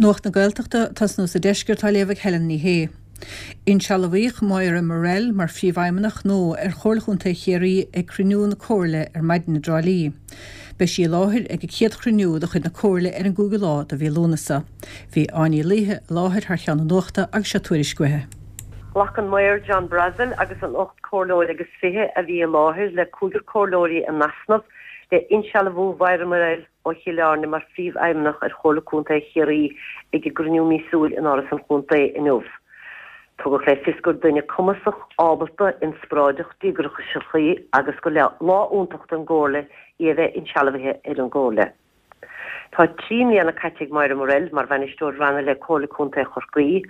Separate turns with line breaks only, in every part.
Nuacht na Gaeltachta, ag tosnú sa deisceart, á léamh ag Helen Ní Shé. Insealbhaíodh Moira Murrell mar Phríomhfheidhmeannach nua ar Chomhairle Chontae Chiarraí ag cruinniú na Comhairle ar maidin i dTrá Lí. Beidh sí i láthair ag an chéad chruinniú de chuid na Comhairle ar an gcúigiú lá de mhí Lúnasa. Bhí Áine Uí Laoithe i láthair thar cheann na Nuachta agus seo tuairisc uaithi.
Ghlac an Maor John Brassil agus an 18 comhairleoir agus a bhí i láthair le cúigear comhairleoirí in easnamh le insealbhú Mhoira Murrell ó Chill Airne mar Phríomhfheidhmeannach ar Chomhairle Contae Chiarraí ag a gcruinniú míosúil in Áras an Chontae inniu. Tugadh le fios gur duine cumasach, ábalta, inspioráideach, díograiseach í agus gur lá iontach don gComhairle í a bheith insealbhaithe ar an gComhairle. Tá 3 mbliana caite ag Moira Murrell mar Bhainisteoir Ranna le Comhairle Contae Chorcaí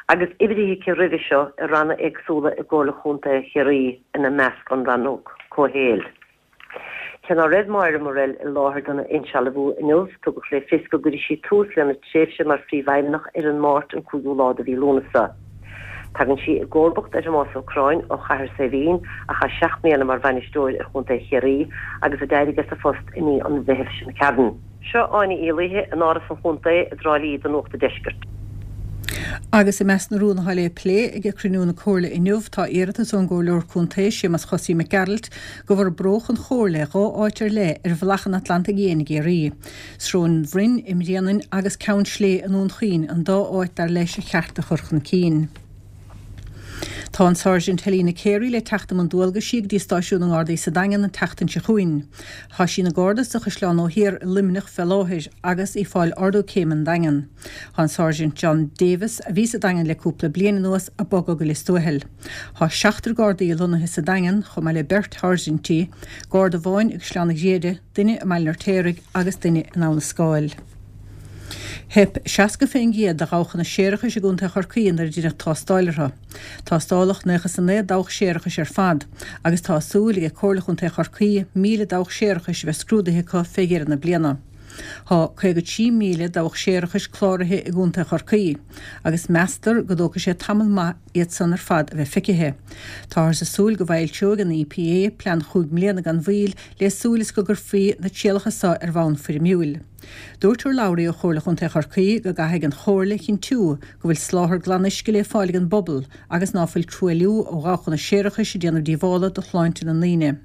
agus oibrithe aici roimhe seo i ranna éagsúla i gComhairle Chontae Chiarraí ina measc an Rannóg Comhshaoil. Cé ná raibh Moira Murrell i láthair dona insealbhú inniu, tugadh le fios go gcuirfidh sí tús lena tréimhse mar Phríomhfheidhmeannach ar an Máirt an 5ú lá de mhí Lúnasa. Tagann sí i gcomharbacht ar Thomás Ó Curráin ó Chathair Saidhbhín a chaith 7 mbliana mar bhainisteoir ar Chontae Chiarraí agus a d'éirigh as a phost i mí an Mheithimh seo chugainn. Seo Áine Uí Laoithe in Áras an Chontae i dTrá Lí do Nuacht an Deiscirt.
Agus i measc na rún atá le plé ag cruinniú na Comhairle inniu tá iarratas ón gComhairleoir Contae Séamas Chosaí Mac Gearailt go bhforbródh an Chomhairle 2 áit ar leith ar bhealach an Atlantaigh Fhiáin i gCiarraí. Srón an Bhroin i mBréanainn agus Ceann Slé i nDún Chaoin an dá áit dar leis ar cheart a chur chun cinn. Tá an Sáirsint Helena Carey le teacht i mbun dualgaisí go dtí stáisiún na nGardaí sa Daingean an tseachtain seo chugainn. Tá sí ina Garda sa Chaisleán Ó Thiar i Luimneach fé láthair agus í fáil ardú céime an Daingean. Tá an Sáirsint John Davis, a bhí sa Daingean le cúpla bliain anuas, ag bogadh go Lios Tuathail. Tá seachtar Gardaí lonnaithe sa Daingean, chomh maith le beirt sháirsintí, Garda amháin i gCaisleán an Ghriaire, duine i mBaile an Fheirtéaraigh agus duine in Abha na Scáil. Theip 60% de dhabhchanna séarachais i gContae Chorcaí nuair a deineadh tástáil orthu. Tástáladh 99 dabhach séarachais ar fad agus tá súil ag Comhairle Chontae Chorcaí 1,000 dabhach séarachais a bheith scrúdaithe acu fé dheireadh na bliana. Tá 53,000 dabhach séarachais cláraithe i gContae Chorcaí agus meastar go dtógfaidh sé tamall maith iad san ar fad a bheith feicithe. Táthar ag súil go bhfoilseoidh an EPA plean chúig mbliana gan mhoill le súil is go gcuirfí na trialacha so ar bhonn foirmiúil. Dúirt urlabhraí ó Chomhairle Chontae Chorcaí go gcaithfidh an Chomhairle a chinntiú go bhfuil soláthar glan-uisce le fáil ag an bpobal agus ná fuil truailliú ó dhabhchanna séarachais ag déanamh díobhála do shláinte na ndaoine.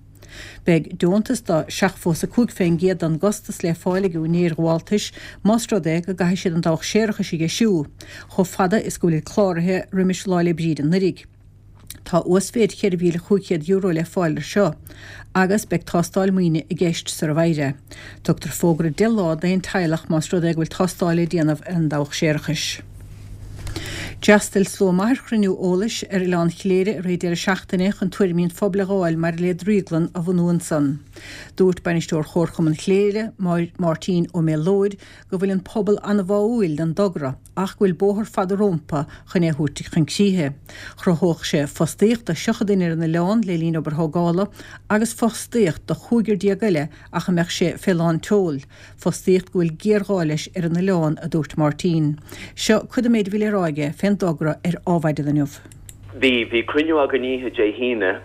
Beidh deontas de 75% den gcostas le fáil ag úinéir ghabháltais más rud é go gcaithfidh siad an dabhach séarachais a dheisiú, chomh fada is go bhfuilid cláraithe roimis Lá 'le Bríde anuiridh. Tá uasmhéid €4,500 le fáil ar seo agus beidh tástáil maoine i gceist sara bhfaighir é. Tugtar fógra 10 lá d'aon teaghlach más rud é go bhfuil tástáil le déanamh ar an dabhach séarachais. D'fhreastail slua maith ar chruinniú eolais ar Oileán Chléire i rith deireadh seachtaine chun tuairimí an phobail a dh'fháil maidir le drioglann a bhunú ansan. Dúirt Bainisteoir Chomharchumann Chléire, Máirtín Ó Méalóid, go bhfuil an pobal an-bháúil don dtogra ach go bhfuil bóthar fada rómpa chun é a thabhairt chun críche. Chruthódh sé fostaíocht do 30 duine ar an oileán le linn obair thógála agus fostaíocht do chúigear déag eile ach a mbeadh sé fé lán tseoil. Fostaíocht go bhfuil géarghá leis ar an oileán, a dúirt Máirtín. Seo cuid den méid a bhí le rá aige fén dtogra ar Ádhmhaidin inniu.
Bhí, bhí cruinniú againn oíche Dé hAoine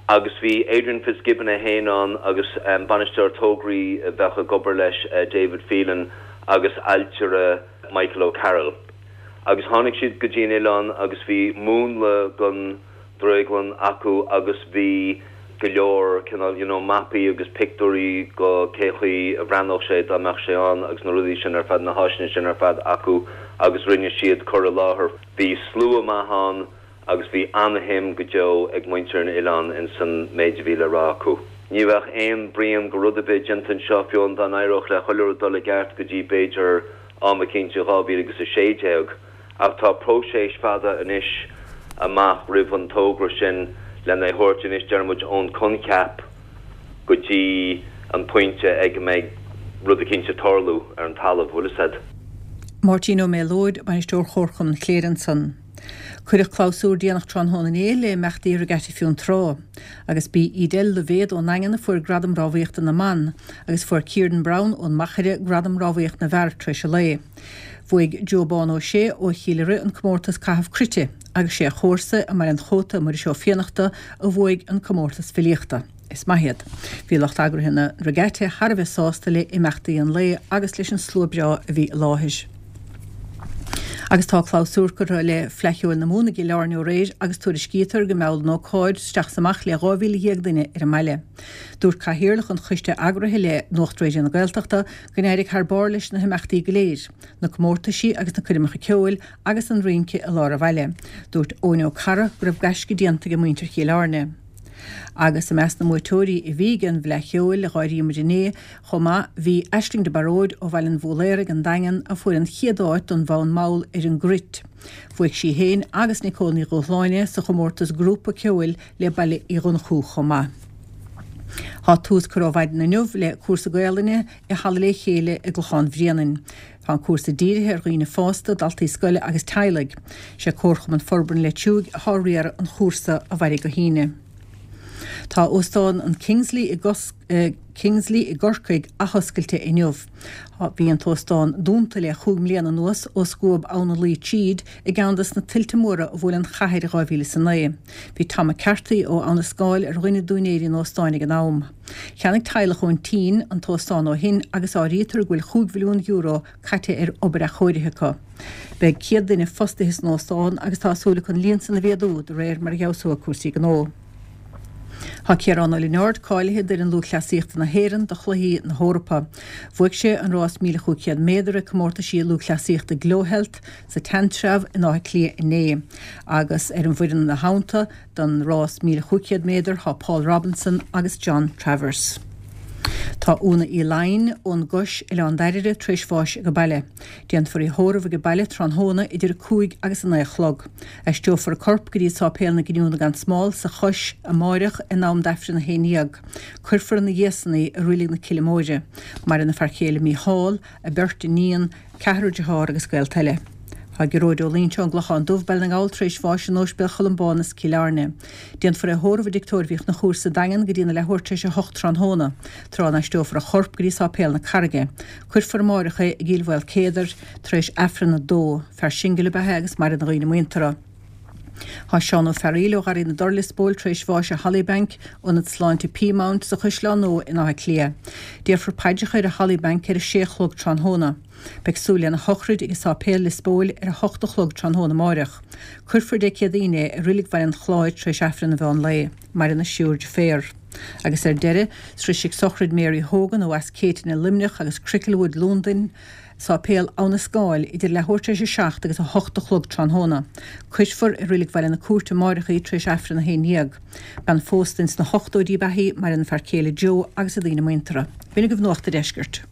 agus bhí Adrian Fitzgibbon é féin ann agus bainisteoir tograí a bheadh ag obair leis, David Phelan agus ailtire Michael O'Carroll. Agus tháinig siad go dtí an oileán agus bhí múnla den drioglann acu agus bhí go leor cineál you know mapaí agus pictiúirí go cé chaoi a bhreathnódh sé dá mbeadh sé ann agus na rudaí sin ar fad, na háiseanna sin ar fad acu agus rinne siad cur i láthair. Bhí slua maith ann agus bhí ana-shuim go deo ag muintir an oileáin ins an méid a bhí le rá acu. Ní bheadh aon bruíon go rud ar bith déanta anseo fiú amháin dá n-éireodh le chuile rud dul i gceart go dtí b'fhéidir am eicínt i 2016. Ach tá próiseas fada anois amach roimh an togra sin lena thabhairt anois, deir muid, ón coincheap go dtí an pointe ag a mbeidh rud eicínt ag tarlú ar an talamh, bhfuil fhios a'd.
Máirtín Ó Méalóid, Bainisteoir Chomharchumann Chléire ansan. Cuireadh clabhsúr déanach tráthnóna inné le imeachtaí Regatta Fionntrá. Agus b'í Edel Loibhéad ón nDaingean a fuair Gradam Rámhaíochta na mBan, agus fuair Kieran Browne ón Machaire Gradam Rámhaíocht na bhFear tar éis an lae. Bhuaigh Joe Bán Ó Sé ó Chill Ioraidh an comórtas caitheamh cruite agus sé a chomharsa i mBaile an Chóta, Muiris Ó Fiannachta, a bhuaigh an comórtas filíochta. Is maith iad. Bhí lucht eagraithe na Regatta thar a bheith sásta le imeachtaí an lae agus leis an slua breá a bhí i láthair. Agus tá clabhsúr curtha le Fleadh Cheoil na Mumhan i gCill Airne aréir agus tuairiscítear go mheall an ócáid isteach is amach le 12,000 duine ar an mbaile. Dúirt Cathaoirleach an choiste eagraithe le Nuacht Raidió na Gaeltachta go n-éirigh thar barr leis na himeachtaí go léir, na comórtaisí agus na coirmeacha ceoil agus an rince i lár an bhaile. Dúirt Eoin Ó Carra go raibh gaisce déanta ag muintir Chill Airne. Agus i measc na mbuaiteoirí a bhí ag an bhFleadh Cheoil a dh'áiríodh muid inné chomh maith bhí Aisling de Baróid ó Bhaile an Bhúiléaraigh, An Daingean, a fuair an chéad áit don bhfonn mall ar an gcruit. Bhuaigh sí féin agus Nicole Ní Dhúshláine sa chomórtas grúpa ceoil le Baile Uí Dhonnchú chomh maith. Tá tús curtha ó mhaidin inniu le cúrsa Gaolainne i Halla Le Chéile i gClochán Bhréanainn. Tá an cúrsa dírithe ar dhaoine fásta, daltaí scoile agus teaghlaigh. Sé Comharchumann Forbartha an Leitir Thuaidh atá ag riaradh an chúrsa a mhairfidh go hAoine. Tá Óstán an Kingsley i Kingsley i gCorcaigh athoscailte inniu. Bhí an t-óstán dúnta le chúig mbliana anuas ó scuab Abhainn an Laoi tríd i gceann des na tuilte móra a bhuail an chathair i 2009. Bhí Tom McCarthy ó Abha na Scáil ar dhuine d'úinéirí an óstáin ag an am. Cheannaigh teaghlach ón tSín an t-óstán ó shin agus áirítear go bhfuil €5 mhilliún caite ar obair athchóirithe acu. Beidh 100 duine fostaithe san óstán agus tá súil acu an líon san a mhéadú de réir mar a fheabhsóidh cúrsaí gnó. Tá Ciarán Ó Lionáird cáilithe d'fhoireann lúthchleasaíochta na hÉireann do Chluichí na hEorpa. Bhuaigh sé an rás 1,500 méadar ag comórtaisí lúthchleasaíochta GloHealth sa tSeanTreabh in Áth Cliath inné agus ar an bhfoireann ina theannta Don rás 1,500 méadar tá Paul Robinson agus John Travers. Tá Úna Uí Laighin ón gCois, Oileán Dairbhre, tar éis bháis ag baile. Déanfar í a thórramh ag baile tráthnóna idir 5 agus 9 a chlog. Aistreofar a corp go dtí Sáipéal na Giniúna gan Smál sa Chois amáireach in am d'Aifreann 11. Cuirfear ina dhiaidh san í i Reilig na Cille Móire. Maireann a fear céile Mícheál, a beirt iníon, ceathrar dearthár agus gaolta eile. Tá Gearóid Ó Loinsigh ón gClochán Dubh, Baile na nGall tar éis bháis in Ospidéal Cholmbánus, Cill Airne. Déanfar é a thórramh i dTigh Tórraimh Uí Chonchúir sa Daingean go dtína leathuair tar éis a hocht tráthnóna, tráth a n-aistreofar a chorp go dtí Sáipéal na Carraige. Cuirfear amáireach é i gCill Mhaolcéadair tar éis Aifreann a dó. Fear singil ab ea é agus maireann a dhaoine muinteartha. Tá Seán Ó Fearaíl ó Gharraí na dTor, Lios Póil tar éis bháis i Hollybank, Ionad Sláinte Peamount sa Chaisleán Nua in Áth Cliath. Déarfar paidreacha air i Hollybank ar a sé a chlog tráthnóna. Beidh súil lena shochraid ag an Sáipéal, Lios Póil ar a hocht a chlog tráthnóna amáireach. Cuirfear Dé Céadaoin é i Reilig Bhaile an Chláir tar éis Aifreann an mheán lae. Maireann a thriúr deirféar. Agus ar deireadh, sroisfidh sochraid Mary Hogan ó Eas Céitinn i Luimneach agus Cricklewood, Londain, Sáipéal Abha na Scáil idir leathuair tar éis a 7 agus 8 a chlog tráthnóna. Cuirfear i Reilig Bhaile na Cúirte amáireach í tar éis Aifreann 11. Bean phósta ins na hochtóidí ab ea í, maireann a fear céile Joe agus a daoine muinteartha. B'in agaibh Nuacht a' Deiscirt.